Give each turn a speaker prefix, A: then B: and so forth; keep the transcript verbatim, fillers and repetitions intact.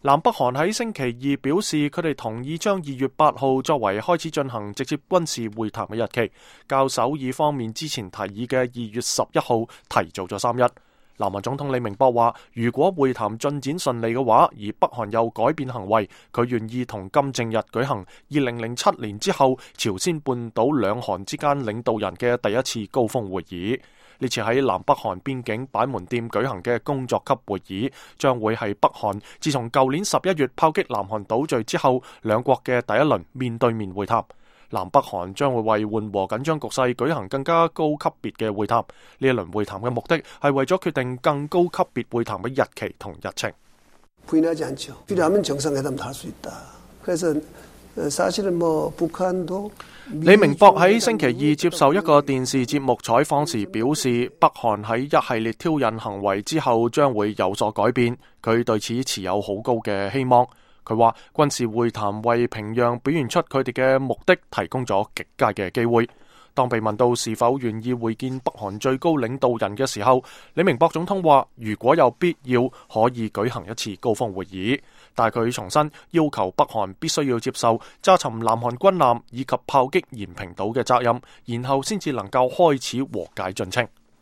A: 南北韓喺星期二表示，佢哋同意將二月八號作為開始進行直接軍事會談嘅日期，較首爾方面之前提議嘅二月十一號提早咗三日。南韓總統李明博話，如果會談進展順利嘅話，而北韓又改變行為，佢願意同金正日舉行二零零七年之後朝鮮半島兩韓之間領導人嘅第一次高峰會議。呢次喺南北韓邊境板門店舉行嘅工作級會議，將會係北韓自從舊年十一月炮擊南韓島嶼之後，兩國嘅第一輪面對面會談。南北韓將會為緩和緊張局勢舉行更加高級別嘅會談。呢一輪會談嘅目的係為咗決定更高級別會談嘅日期同日程。李明博喺星期二接受一個電視節目採訪時表示，北韓喺一系列挑釁行為之後將會有所改變，佢對此持有好高嘅希望。佢話軍事會談為平壤表現出佢哋嘅目的提供咗極佳嘅機會。當被問到是否願意會見北韓最高領導人嘅時候，李明博總統話如果有必要可以舉行一次高峰會議，但係佢重申要求北韓必須要接受炸沉南韓軍艦以及炮擊延平島嘅責任，然後先至能夠開始和解進程。